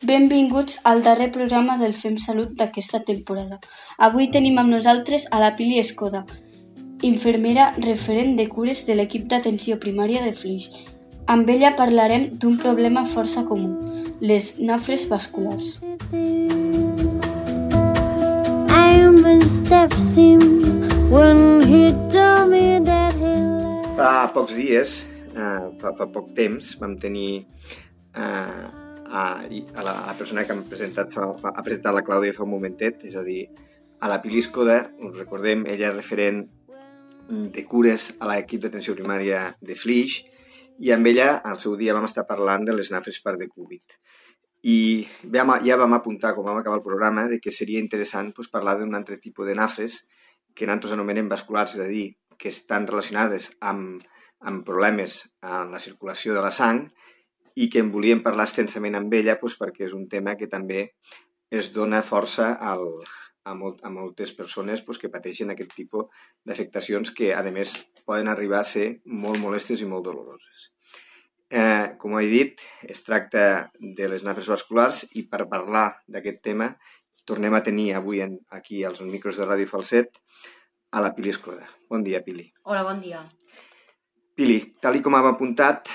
Benvinguts al darrer programa del Fem Salut d'aquesta temporada. Avui tenim amb nosaltres a la Pili Escoda, infermera referent de cures de l'equip d'atenció primària de Flix. Amb ella parlarem d'un problema força comú, les nafres vasculars. Fa pocs dies, fa poc temps, vam tenir a la persona que ha presentat la Clàudia fa un momentet, és a dir, a la Pili Escoda, us recordem, ella és referent de cures a l'equip d'atenció primària de Flix, i amb ella al seu dia vam estar parlant de les nafres per de Covid. I ja vam apuntar, quan vam acabar el programa, de que seria interessant parlar d'un altre tipus de nafres que nosaltres anomenem vasculars, és a dir, que estan relacionades amb problemes en la circulació de la sang, i que en volíem parlar extensament amb ella perquè és un tema que també es dona força a moltes persones que pateixen aquest tipus d'afectacions que, a més, poden arribar a ser molt molestes i molt doloroses. Com he dit, es tracta de les nafres vasculars i per parlar d'aquest tema tornem a tenir avui aquí als micros de Ràdio Falset a la Pili Escoda. Bon dia, Pili. Hola, bon dia. Pili, tal com hem apuntat,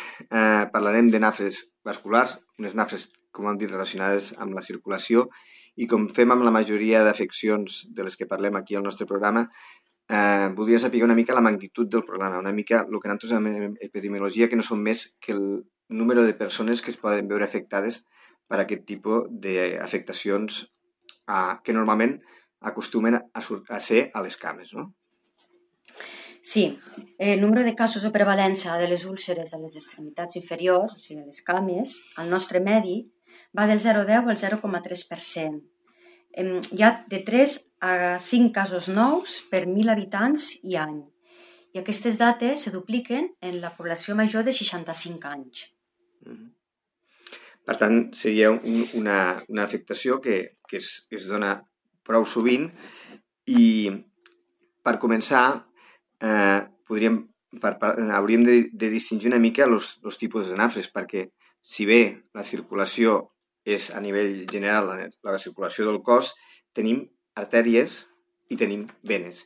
parlarem de nafres vasculars, unes nafres, com hem dit, relacionades amb la circulació, i com fem amb la majoria d'afeccions de les que parlem aquí al nostre programa, voldria saber una mica la magnitud del problema, una mica el que nosaltres anomenem epidemiologia, que no són més que el número de persones que es poden veure afectades per aquest tipus d'afectacions que normalment acostumen a ser a les cames, no? Sí, el número de casos o prevalença de les úlceres a les extremitats inferiors, o sigui, a les cames, al nostre medi, va del 0,10 al 0,3%. Hi ha de 3 a 5 casos nous per 1.000 habitants i any. I aquestes dates se dupliquen en la població major de 65 anys. Per tant, seria una afectació que es dona prou sovint, i per començar hauríem de distingir una mica els tipus de nafres, perquè si bé la circulació és a nivell general, la circulació del cos, tenim artèries i tenim venes.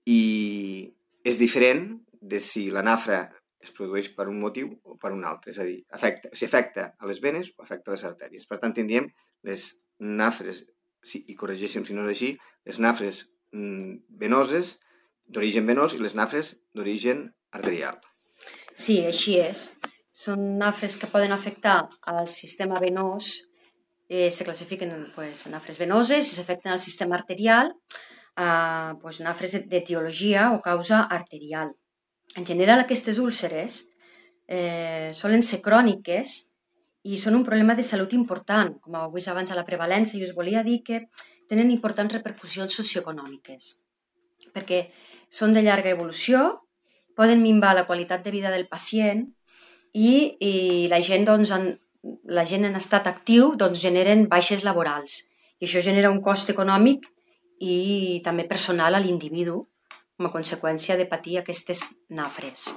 I és diferent de si la nafra es produeix per un motiu o per un altre, és a dir, si afecta a les venes o afecta a les artèries. Per tant, tindríem les nafres, i corregeixen si no és així, les nafres venoses d'origen venós i les nafres d'origen arterial. Sí, així és. Són nafres que poden afectar al sistema venós, se classifiquen en nafres venoses, i s'afecten al sistema arterial, nafres d'etiologia o causa arterial. En general, aquestes úlceres solen ser cròniques i són un problema de salut important, com heu vist abans a la prevalència, i us volia dir que tenen importants repercussions socioeconòmiques, perquè són de llarga evolució, poden minvar la qualitat de vida del pacient i la gent en estat actiu generen baixes laborals. I això genera un cost econòmic i també personal a l'individu com a conseqüència de patir aquestes nafres.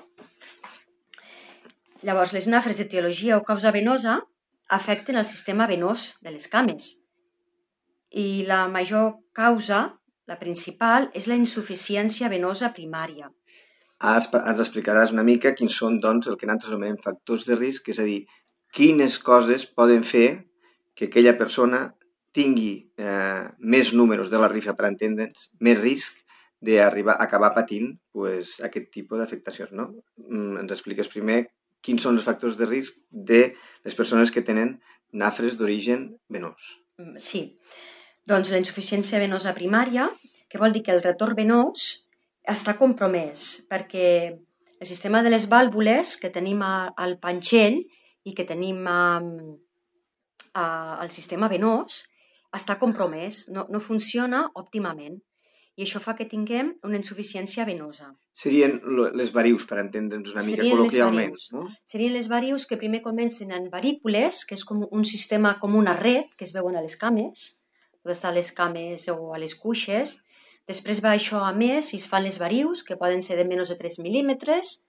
Llavors, les nafres d'etiologia o causa venosa afecten el sistema venós de les cames. I la major causa, la principal, és la insuficiència venosa primària. Ens explicaràs una mica quins són, doncs, el que nosaltres anomenem factors de risc, és a dir, quines coses poden fer que aquella persona tingui més números de la rifa, per entendre'ns, més risc d'acabar patint aquest tipus d'afectacions, no? Ens expliques primer quins són els factors de risc de les persones que tenen nafres d'origen venós. Sí, doncs la insuficiència venosa primària, que vol dir que el retorn venós està compromès, perquè el sistema de les vàlvules que tenim al panxell i que tenim al sistema venós està compromès, no funciona òptimament, i això fa que tinguem una insuficiència venosa. Serien les varius, per entendre'ns una mica col·loquialment, no? Serien les varius que primer comencen en varícules, que és com un sistema, com una red, que es veuen a les cames, pot estar a les cames o a les cuixes. Després va això a més i es fan les varius, que poden ser de menys de 3 mil·límetres.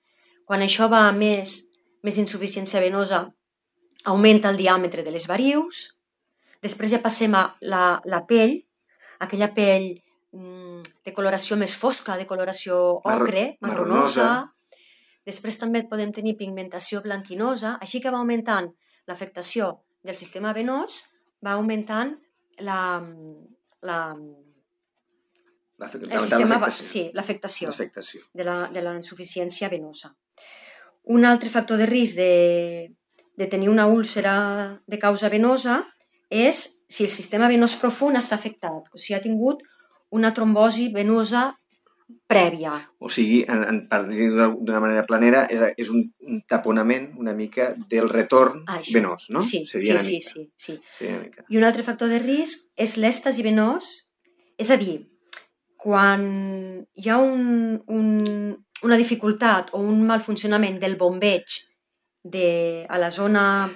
Quan això va a més insuficiència venosa, augmenta el diàmetre de les varius, Després ja passem a la pell, aquella pell de coloració més fosca, de coloració ocre, marronosa. Després també podem tenir pigmentació blanquinosa, així que va augmentant l'afectació del sistema venós, va augmentant l'afectació de la insuficiència venosa. Un altre factor de risc de tenir una úlcera de causa venosa és si el sistema venós profund està afectat, o si ha tingut una trombosi venosa prèvia. O sigui, per dir-ho d'una manera planera, és un taponament una mica del retorn venós, no? Sí. I un altre factor de risc és l'èxtasi venós, és a dir, quan hi ha una dificultat o un mal funcionament del bombeig a la zona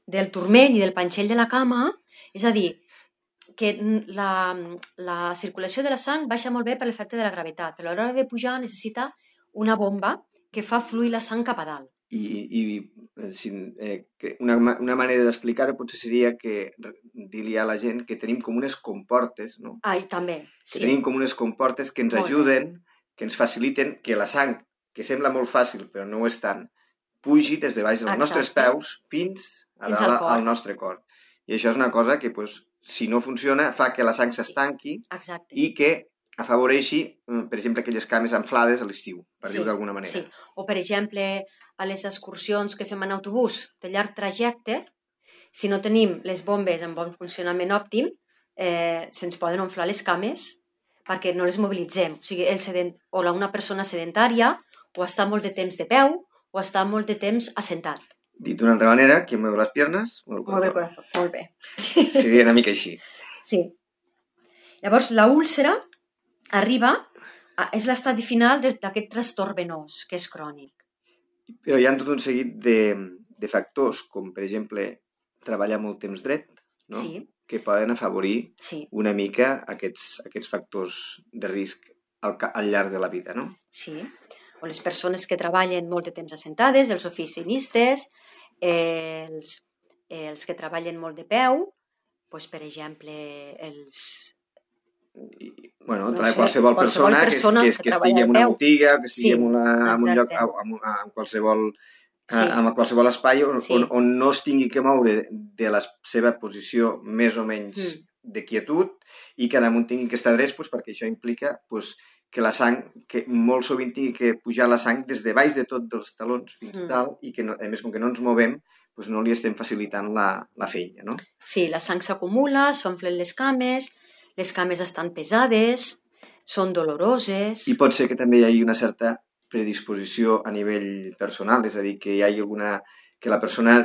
del turmell i del panxell de la cama, és a dir, que la circulació de la sang baixa molt bé per l'efecte de la gravetat, però a l'hora de pujar necessita una bomba que fa fluir la sang cap a dalt. Una manera d'explicar-ho potser seria que dir-li a la gent que tenim com unes comportes, no? També, sí. Que tenim com unes comportes que ens ajuden, que ens faciliten que la sang, que sembla molt fàcil però no ho és tant, pugi des de baix dels nostres peus fins al nostre cor. I això és una cosa que, si no funciona, fa que la sang s'estanqui i que afavoreixi, per exemple, aquelles cames inflades a l'estiu, per dir-ho d'alguna manera. Sí. O, per exemple, a les excursions que fem en autobús de llarg trajecte, si no tenim les bombes en bon funcionament òptim, se'ns poden inflar les cames perquè no les mobilitzem. O sigui, una persona sedentària o està molt de temps de peu o està molt de temps assentat. Dit d'una altra manera, qui mueve les piernas, mueve el corazón. Molt bé. Seria una mica així. Sí. Llavors, la úlcera és l'estadi final d'aquest trastorn venós, que és crònic. Però hi ha tot un seguit de factors, com per exemple treballar molt temps dret, no? Sí. Que poden afavorir una mica aquests factors de risc al llarg de la vida, no? Sí. O les persones que treballen molt de temps assentades, els oficinistes, els que treballen molt de peu, per exemple, qualsevol persona que estigui en una botiga, que estigui en un lloc, en qualsevol espai on no es tingui que moure de la seva posició més o menys de quietud i que damunt tingui que estar drets perquè això implica que la sang, que molt sovint tingui que pujar la sang des de baix de tot dels talons fins dalt i que, a més, com que no ens movem, no li estem facilitant la feina, no? Sí, la sang s'acumula, s'omflen les cames estan pesades, són doloroses... I pot ser que també hi hagi una certa predisposició a nivell personal, és a dir, que hi hagi que la persona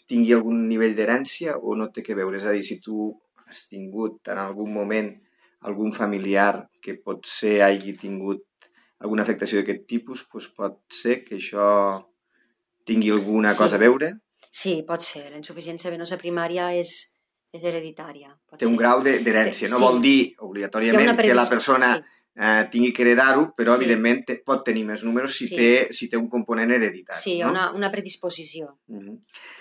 tingui algun nivell d'herència o no té que veure, és a dir, si tu has tingut en algun moment algun familiar que potser hagi tingut alguna afectació d'aquest tipus, pot ser que això tingui alguna cosa a veure? Sí, pot ser. La insuficiència venosa primària és hereditària. Té un grau d'herència. No vol dir obligatòriament que la persona tingui que heredar-ho, però evidentment pot tenir més números si té un component hereditari. Sí, hi ha una predisposició.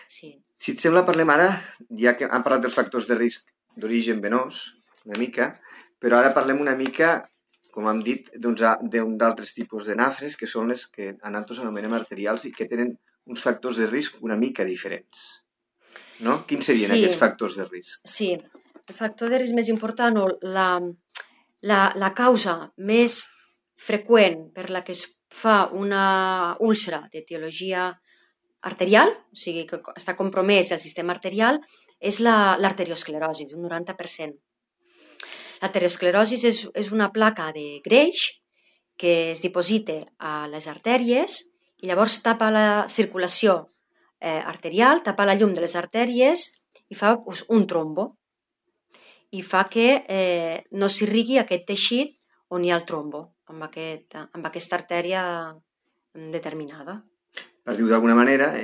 Si et sembla, parlem ara, ja que hem parlat dels factors de risc d'origen venós, una mica, però ara parlem una mica, com hem dit, d'altres tipus de nafres, que són les que a nosaltres anomenem arterials i que tenen uns factors de risc una mica diferents. No? Quins serien aquests factors de risc? Sí, el factor de risc més important o la causa més freqüent per la que es fa una úlcera d'etiologia arterial, o sigui que està compromès el sistema arterial, és l'arteriosclerosi, un 90%. L'arteriosclerosi és una placa de greix que es diposita a les artèries i llavors tapa la circulació arterial, tapa la llum de les artèries i fa un trombo. I fa que no s'irrigui aquest teixit on hi ha el trombo, amb aquesta artèria determinada. Per dir-ho d'alguna manera,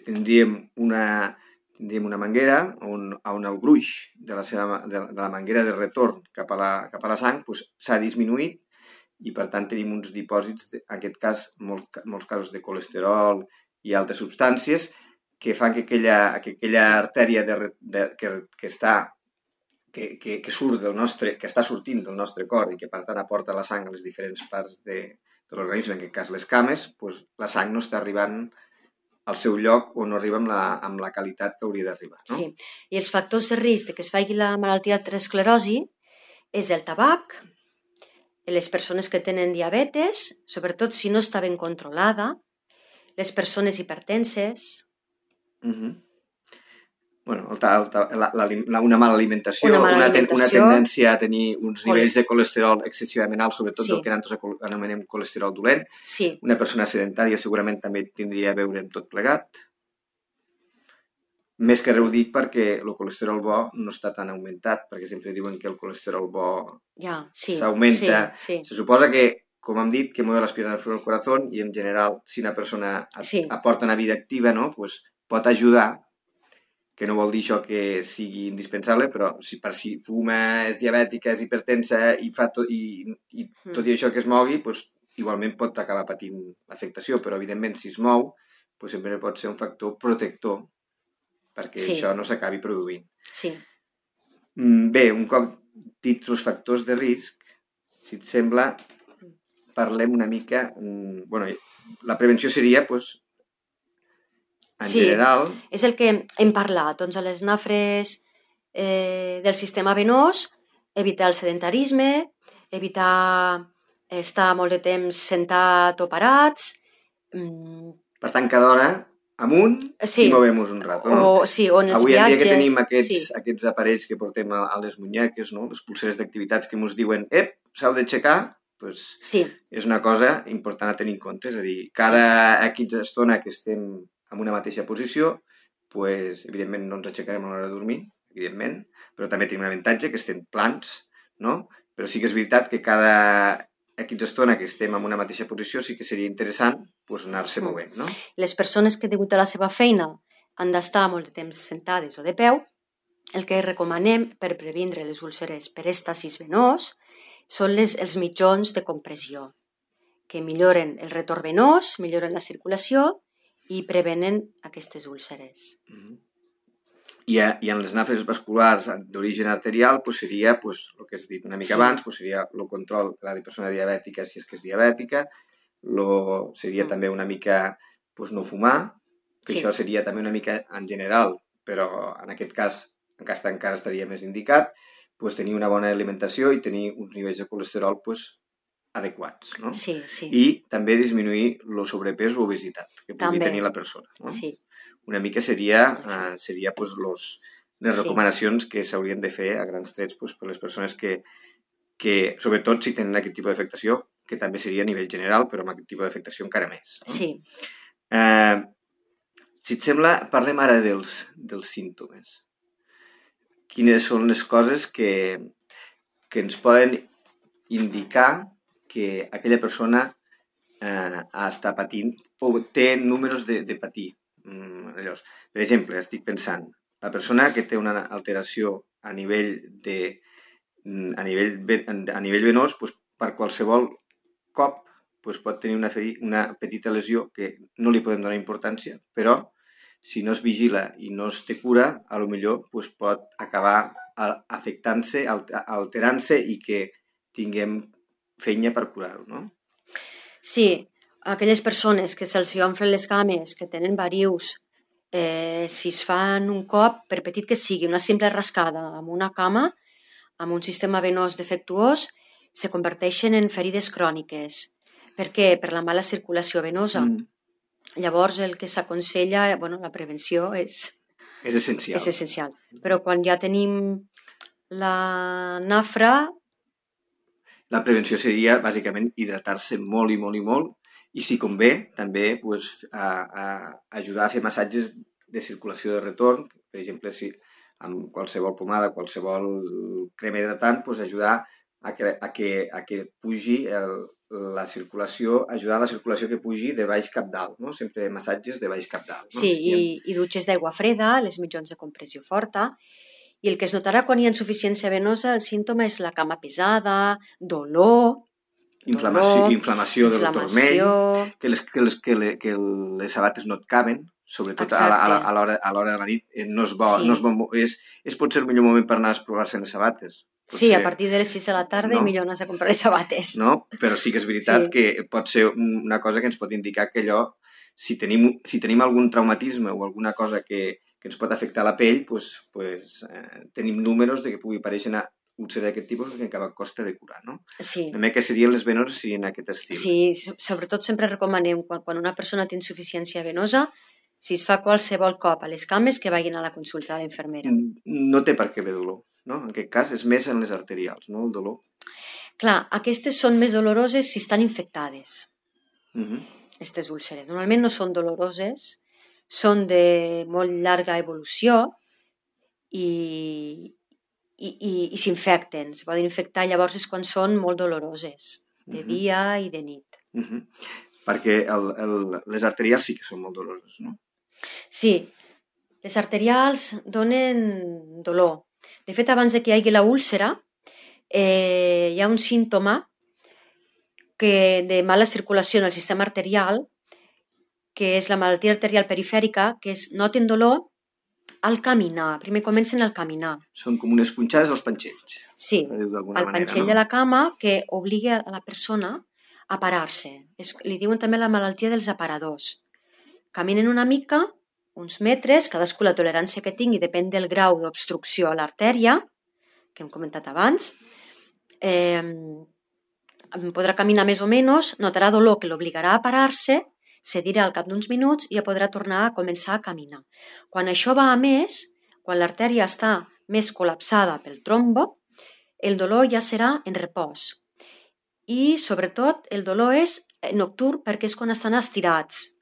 tindríem una manguera on el gruix de la manguera de retorn cap a la sang s'ha disminuït i per tant tenim uns dipòsits, en aquest cas molts casos de colesterol i altres substàncies que fan que aquella artèria que surt del nostre, que està sortint del nostre cor i que per tant aporta la sang a les diferents parts de l'organisme, en aquest cas les cames, doncs la sang no està arribant al seu lloc o no arriba amb la qualitat que hauria d'arribar. No? Sí, i els factors de risc de que es faci la malaltia d'arteriosclerosi és el tabac, les persones que tenen diabetes, sobretot si no està ben controlada, les persones hipertenses. Bueno, una mala alimentació, una tendència a tenir uns nivells de colesterol excessivament alts, sobretot el que nosaltres anomenem colesterol dolent. Una persona sedentària segurament també tindria a veure amb tot plegat. Més que res ho dic perquè el colesterol bo no està tan augmentat, perquè sempre diuen que el colesterol bo s'augmenta. Se suposa que, com hem dit, que mueve las piernas del corazón i en general, si una persona aporta una vida activa, no? Pues pot ajudar, que no vol dir això que sigui indispensable, però si fuma, és diabètica, és hipertensa i tot i això que es mogui, doncs, igualment pot acabar patint l'afectació, però evidentment si es mou doncs, sempre pot ser un factor protector perquè això no s'acabi produint. Bé, un cop dits els factors de risc, si et sembla, parlem una mica... la prevenció seria, doncs, en general... És el que hem parlat, doncs a les nafres del sistema venós, evitar el sedentarisme, evitar estar molt de temps sentat o parats... Per tant, cada hora amunt i movem-nos un rato. No? O en els viatges... Avui en dia que tenim aquests aparells que portem a les munyeques, no? Les pulseres d'activitats que ens diuen s'heu d'aixecar, doncs és una cosa important a tenir en compte. És a dir, cada X estona que estem en una mateixa posició, doncs, evidentment no ens aixecarem a l'hora de dormir, evidentment, però també tenim un avantatge que estem plans, no? Però sí que és veritat que cada X estona que estem en una mateixa posició sí que seria interessant anar-se movent, no? Les persones que degut a la seva feina han d'estar molt de temps sentades o de peu, el que recomanem per previndre les úlceres per èstasis venós són els mitjons de compressió, que milloren el retorn venós, milloren la circulació i prevenen aquestes úlceres. I en les nafres vasculars d'origen arterial seria, el que has dit una mica abans, seria el control de la persona diabètica si és que és diabètica, seria també una mica no fumar, que això seria també una mica en general, però en aquest cas encara estaria més indicat, tenir una bona alimentació i tenir uns nivells de colesterol adequats, no? I també disminuir el sobrepès o obesitat que pugui tenir la persona. No? Una mica seria les recomanacions que s'haurien de fer a grans trets per les persones que, sobretot si tenen aquest tipus d'afectació, que també seria a nivell general, però amb aquest tipus d'afectació encara més. No? Si et sembla, parlem ara dels símptomes. Quines són les coses que ens poden indicar que aquella persona està patint o té números de patir. Per exemple, estic pensant, la persona que té una alteració a nivell venós, per qualsevol cop pot tenir una petita lesió que no li podem donar importància, però si no es vigila i no es té cura, potser pot acabar afectant-se, alterant-se i que tinguem feina per curar-ho, no? Sí, aquelles persones que se'ls omflen les cames, que tenen varius, si es fan un cop, per petit que sigui, una simple rascada amb una cama, amb un sistema venós defectuós, se converteixen en ferides cròniques. Per què? Per la mala circulació venosa. Llavors, el que s'aconsella, la prevenció és essencial. Però quan ja tenim la nafra... La prevenció seria, bàsicament, hidratar-se molt i molt i molt i, si convé, també ajudar a fer massatges de circulació de retorn, per exemple, si amb qualsevol pomada, qualsevol crema hidratant, ajudar a que pugi la circulació, ajudar a la circulació que pugi de baix cap dalt, no? Sempre massatges de baix cap dalt. No? Sí, i dutxes d'aigua freda, les mitjons de compressió forta. I el que es notarà quan hi ha insuficiència venosa, el símptoma és la cama pesada, dolor... Inflamació del turmell, que les sabates no et caben, sobretot a l'hora de la nit, no és bo, és potser el millor moment per anar a provar-se les sabates. Sí, a partir de les 6 de la tarda millor anar a comprar les sabates. No? Però sí que és veritat que pot ser una cosa que ens pot indicar que allò, si tenim algun traumatisme o alguna cosa que ens pot afectar la pell, tenim números de que pugui aparèixer una úlcera d'aquest tipus que encara costa de curar, no? Sí. També que serien les venoses en aquest estil. Sí, sobretot sempre recomanem quan una persona té insuficiència venosa, si es fa qualsevol cop a les cames, que vagin a la consulta de l'infermera. No té per què haver dolor, no? En aquest cas és més en les arterials, no? El dolor. Clar, aquestes són més doloroses si estan infectades, aquestes úlceres. Normalment no són doloroses, són de molt llarga evolució i s'infecten. Se poden infectar llavors és quan són molt doloroses, de dia i de nit. Perquè les arterials sí que són molt doloroses, no? Sí, les arterials donen dolor. De fet, abans que hi hagi la úlcera, hi ha un símptoma de mala circulació en el sistema arterial, que és la malaltia arterial perifèrica, que noten dolor al caminar. Primer comencen al caminar. Són com unes punxades als panxells. Sí, al panxell de la cama, que obliga a la persona a parar-se. Li diuen també la malaltia dels aparadors. Caminen una mica, uns metres, cadascú la tolerància que tingui depèn del grau d'obstrucció a l'artèria, que hem comentat abans. Podrà caminar més o menys, notarà dolor que l'obligarà a parar-se, cedirà al cap d'uns minuts i ja podrà tornar a començar a caminar. Quan això va a més, quan l'artèria està més col·lapsada pel trombo, el dolor ja serà en repòs. I, sobretot, el dolor és nocturn perquè és quan estan estirats.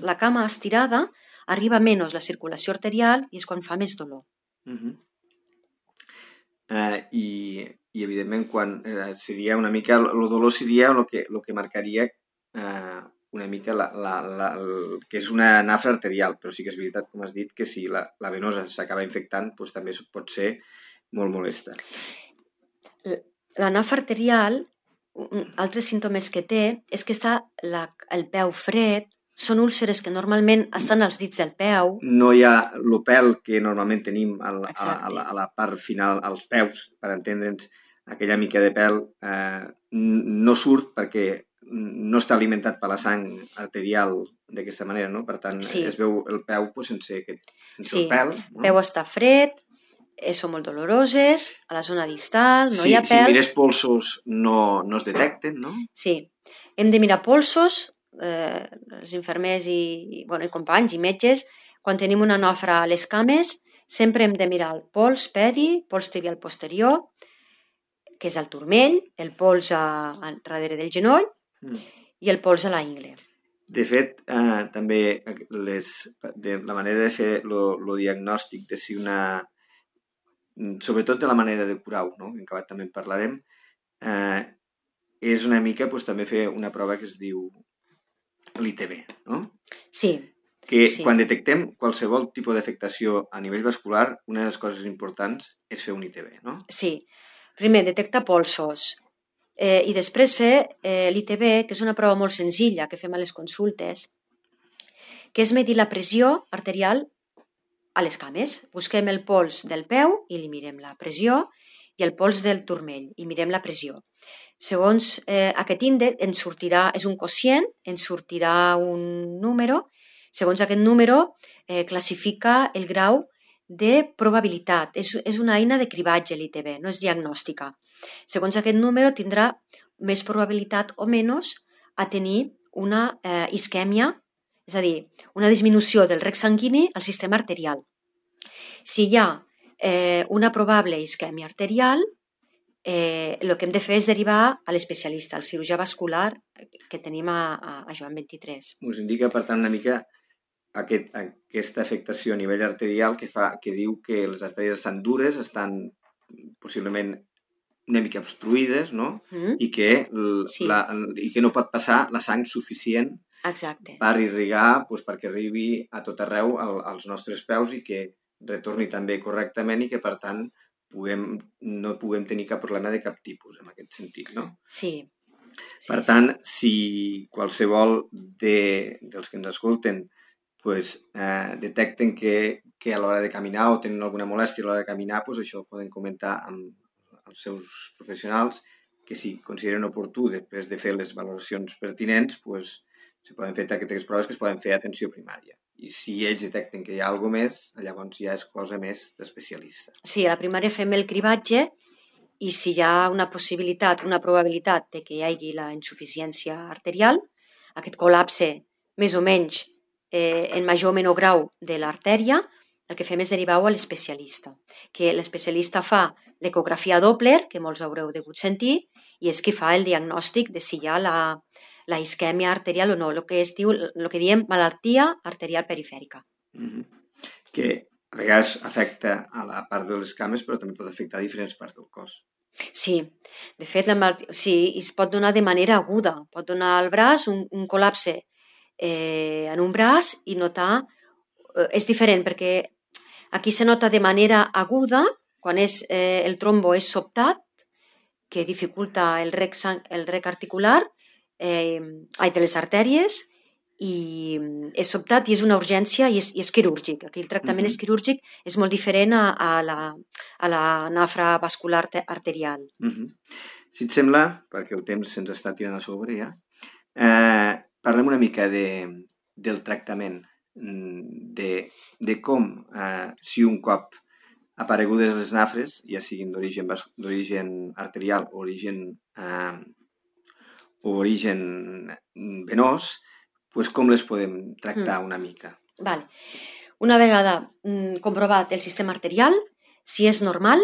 La cama estirada arriba menys la circulació arterial i és quan fa més dolor. I evidentment, quan seria una mica... El dolor seria el que marcaria una mica que és una nafra arterial, però sí que és veritat, com has dit, que si la venosa s'acaba infectant, doncs també pot ser molt molesta. La nafra arterial, altres símptomes que té, és que està el peu fred, són úlceres que normalment estan als dits del peu. No hi ha el pèl que normalment tenim a la part final, als peus, per entendre'ns, aquella mica de pèl no surt perquè no està alimentat per la sang arterial d'aquesta manera, no? Per tant, es veu el peu sense el pèl. El peu està fred, són molt doloroses, a la zona distal, no hi ha pèl. Si mires polsos no es detecten, no? Sí, hem de mirar polsos, els infermers i companys i metges, quan tenim una nafra a les cames, sempre hem de mirar el pols pedi, pols tibial posterior, que és el turmell, el pols darrere del genoll, i el pols a la ingle. De fet, també la manera de fer el diagnòstic de si sobretot de la manera de curar-ho, no? En acabat també en parlarem, és una mica també fer una prova que es diu l'ITB, no? Sí. Que quan detectem qualsevol tipus d'afectació a nivell vascular, una de les coses importants és fer un ITB, no? Sí. Primer, detectar polsos. I després fer l'ITB, que és una prova molt senzilla que fem a les consultes, que és medir la pressió arterial a les cames. Busquem el pols del peu i li mirem la pressió i el pols del turmell i mirem la pressió. Segons aquest índex ens sortirà, és un quocient, ens sortirà un número. Segons aquest número classifica el grau de probabilitat. És una eina de cribatge l'ITB, no és diagnòstica. Segons aquest número tindrà més probabilitat o menys a tenir una isquèmia, és a dir, una disminució del rec sanguini al sistema arterial. Si hi ha una probable isquèmia arterial, el que hem de fer és derivar a l'especialista, al cirurgià vascular que tenim a Joan 23. Us indica, per tant, una mica aquesta afectació a nivell arterial que diu que les artèries estan dures, estan possiblement una mica obstruïdes, no? I que no pot passar la sang suficient per irrigar, perquè arribi a tot arreu als nostres peus i que retorni també correctament i que, per tant, no puguem tenir cap problema de cap tipus en aquest sentit, no? Sí. Per tant, si qualsevol dels que ens escolten detecten que a l'hora de caminar o tenen alguna molèstia a l'hora de caminar, això ho poden comentar amb els seus professionals, que si consideren oportú, després de fer les valoracions pertinents, se poden fer aquestes proves que es poden fer a atenció primària. I si ells detecten que hi ha alguna més, llavors ja és cosa més d'especialista. Sí, a la primària fem el cribatge i si hi ha una possibilitat, una probabilitat de que hi hagi la insuficiència arterial, aquest col·lapse més o menys en major o menor grau de l'artèria, el que fem és derivar-ho a l'especialista, que l'especialista fa l'ecografia Doppler, que molts haureu degut sentir, i és qui fa el diagnòstic de si hi ha la isquèmia arterial o no, el que diem malaltia arterial perifèrica. Que a vegades afecta a la part de les cames, però també pot afectar a diferents parts del cos. Sí, de fet, es pot donar de manera aguda. Pot donar al braç un col·lapse en un braç i notar... És diferent perquè aquí se nota de manera aguda quan el trombo és sobtat, que dificulta el rec articular de les artèries, i és sobtat i és una urgència i és quirúrgic. Aquí el tractament és quirúrgic, és molt diferent a la nafra vascular arterial. Si et sembla, perquè el temps se'ns està tirant a sobre ja, parlem una mica del tractament, de com, si un cop aparegudes les nafres, ja siguin d'origen arterial o origen venós, com les podem tractar una mica? Vale. Una vegada comprovat el sistema arterial, si és normal,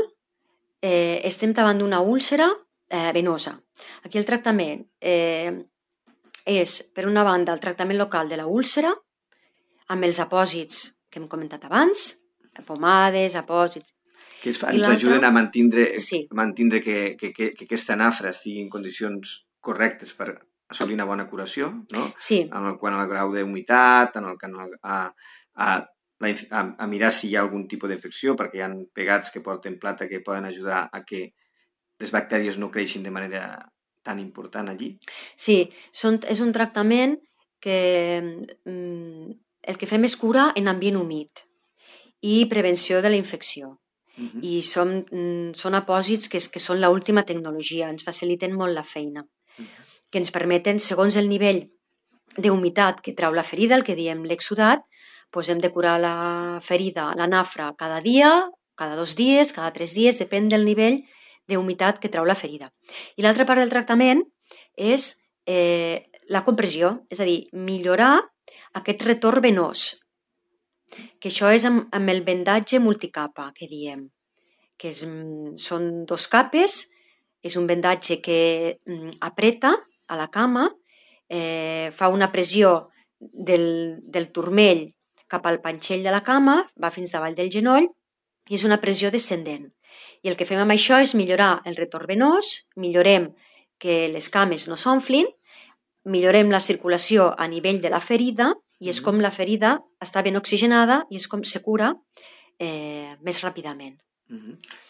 estem davant d'una úlcera venosa. Aquí el tractament és, per una banda, el tractament local de la úlcera, amb els apòsits que hem comentat abans, pomades, apòsits... Que ens ajuden a mantindre que aquesta nafra estigui en condicions correctes per assolir una bona curació, no? Sí. Quant al grau d'humitat, a mirar si hi ha algun tipus d'infecció, perquè hi ha pegats que porten plata que poden ajudar a que les bactèries no creixin de manera tan important allí. Sí, és un tractament que el que fem és cura en ambient humit i prevenció de la infecció. I són apòsits que són l'última tecnologia, ens faciliten molt la feina, que ens permeten, segons el nivell d'humitat que trau la ferida, el que diem l'exsudat, hem de curar la ferida, la nafra, cada dia, cada 2 dies, cada 3 dies, depèn del nivell d'humitat que trau la ferida. I l'altra part del tractament és la compressió, és a dir, millorar aquest retorn venós, que això és amb el vendatge multicapa, que diem, que són 2 capes, és un vendatge que apreta a la cama, fa una pressió del turmell cap al panxell de la cama, va fins davall del genoll, i és una pressió descendent. I el que fem amb això és millorar el retorn venós, millorem que les cames no s'omflin, millorem la circulació a nivell de la ferida, i és com la ferida està ben oxigenada i és com se cura més ràpidament.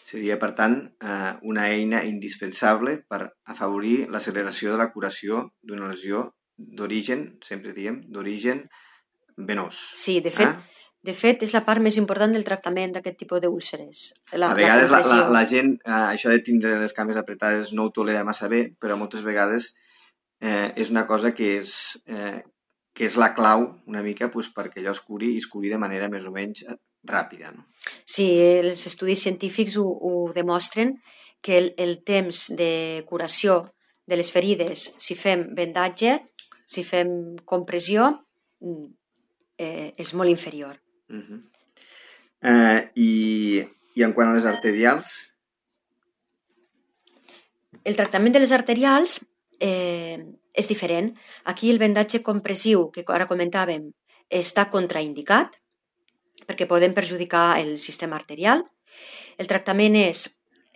Seria, per tant, una eina indispensable per afavorir l'acceleració de la curació d'una lesió d'origen, sempre diem, d'origen venós. Sí, de fet, és la part més important del tractament d'aquest tipus d'úlceres. A vegades la gent, això de tindre les cames apretades no ho tolera massa bé, però moltes vegades és una cosa que és la clau una mica perquè allò es curi de manera més o menys ràpida. No? Sí, els estudis científics ho demostren que el temps de curació de les ferides, si fem vendatge, si fem compressió, és molt inferior. I en quant a les arterials? El tractament de les arterials és diferent. Aquí el vendatge compressiu, que ara comentàvem, està contraindicat perquè poden perjudicar el sistema arterial. El tractament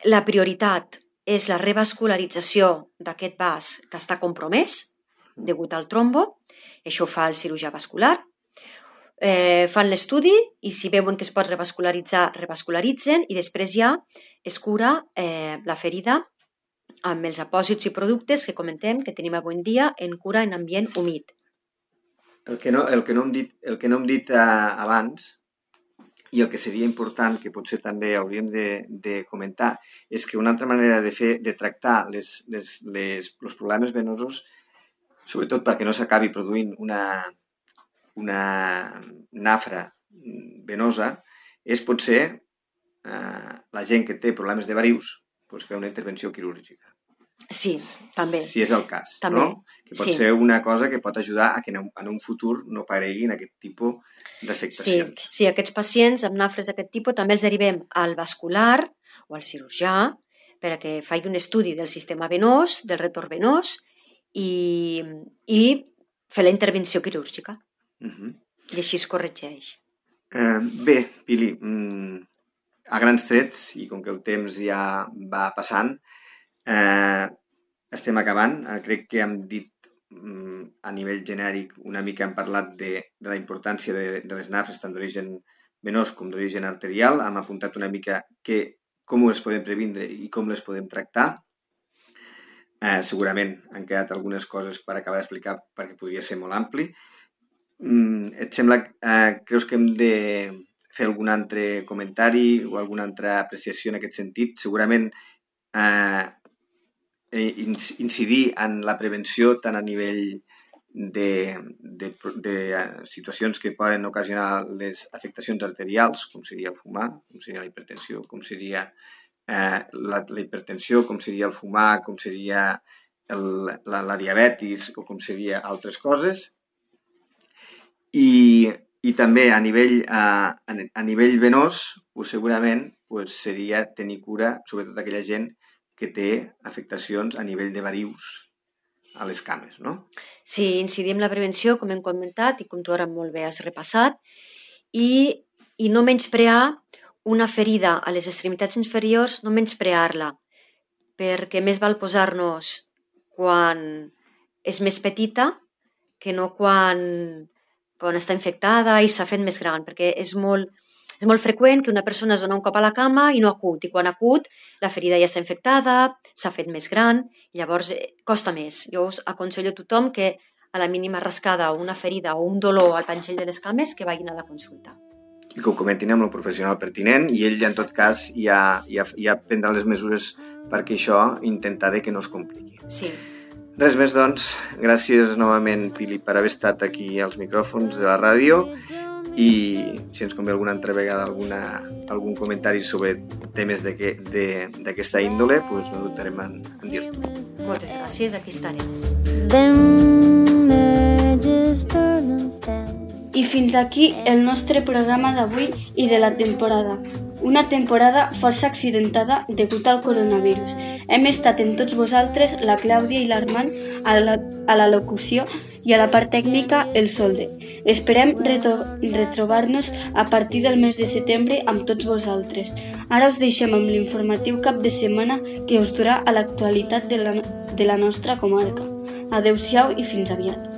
la prioritat és la revascularització d'aquest vas que està compromès degut al trombo. Això ho fa el cirurgià vascular. Fan l'estudi i si veuen que es pot revascularitzar, revascularitzen, i després ja es cura la ferida amb els apòsits i productes que comentem que tenim avui en dia en cura en ambient humit. El que no hem dit abans, i el que seria important, que potser també hauríem de comentar, és que una altra manera de tractar els problemes venosos, sobretot perquè no s'acabi produint una nafra venosa, és potser la gent que té problemes de varius fer una intervenció quirúrgica. Sí, també. Si és el cas, també. No? Que pot ser una cosa que pot ajudar a que en un futur no apareguin aquest tipus d'afectacions. Sí, aquests pacients amb nafres d'aquest tipus també els derivem al vascular o al cirurgià perquè faci un estudi del sistema venós, del retorn venós i fer la intervenció quirúrgica. I així es corregeix. Bé, Pili, a grans trets, i com que el temps ja va passant, estem acabant. Crec que hem dit a nivell genèric una mica hem parlat de la importància de les nafres tant d'origen venós com d'origen arterial. Hem apuntat una mica com les podem previndre i com les podem tractar. Segurament han quedat algunes coses per acabar d'explicar perquè podria ser molt ampli. Et sembla, creus que hem de fer algun altre comentari o alguna altra apreciació en aquest sentit? Segurament incidir en la prevenció tant a nivell de situacions que poden ocasionar les afectacions arterials, com seria el fumar, com seria la hipertensió, com seria la hipertensió, com seria el fumar, com seria la diabetis o com seria altres coses. I també a nivell venós, segurament seria tenir cura, sobretot aquella gent que té afectacions a nivell de varius a les cames, no? Sí, incidir en la prevenció, com hem comentat, i com tu ara molt bé has repassat, i no menysprear una ferida a les extremitats inferiors, no menysprear-la, perquè més val posar-nos quan és més petita que no quan està infectada i s'ha fet més gran, perquè és molt freqüent que una persona es dona un cop a la cama i no acut, i quan acut la ferida ja està infectada, s'ha fet més gran, i llavors costa més. Jo us aconsello a tothom que a la mínima rascada o una ferida o un dolor al panxell de les cames que vagin a la consulta. I que ho comentin amb el professional pertinent i ell, en tot cas, ja prendrà les mesures perquè això intentar que no es compliqui. Sí. Res més, doncs. Gràcies novament, Pili, per haver estat aquí als micròfons de la ràdio i si ens convé alguna altra vegada algun comentari sobre temes d'aquesta índole, doncs no dubtarem en dir-t'ho. Moltes gràcies, aquí estarem. I fins aquí el nostre programa d'avui i de la temporada. Una temporada força accidentada degut al coronavirus. Hem estat amb tots vosaltres, la Clàudia i l'Armand, a la locució i a la part tècnica, el Solde. Esperem retrobar-nos a partir del mes de setembre amb tots vosaltres. Ara us deixem amb l'informatiu cap de setmana que us durà a l'actualitat de la nostra comarca. Adéu-siau i fins aviat.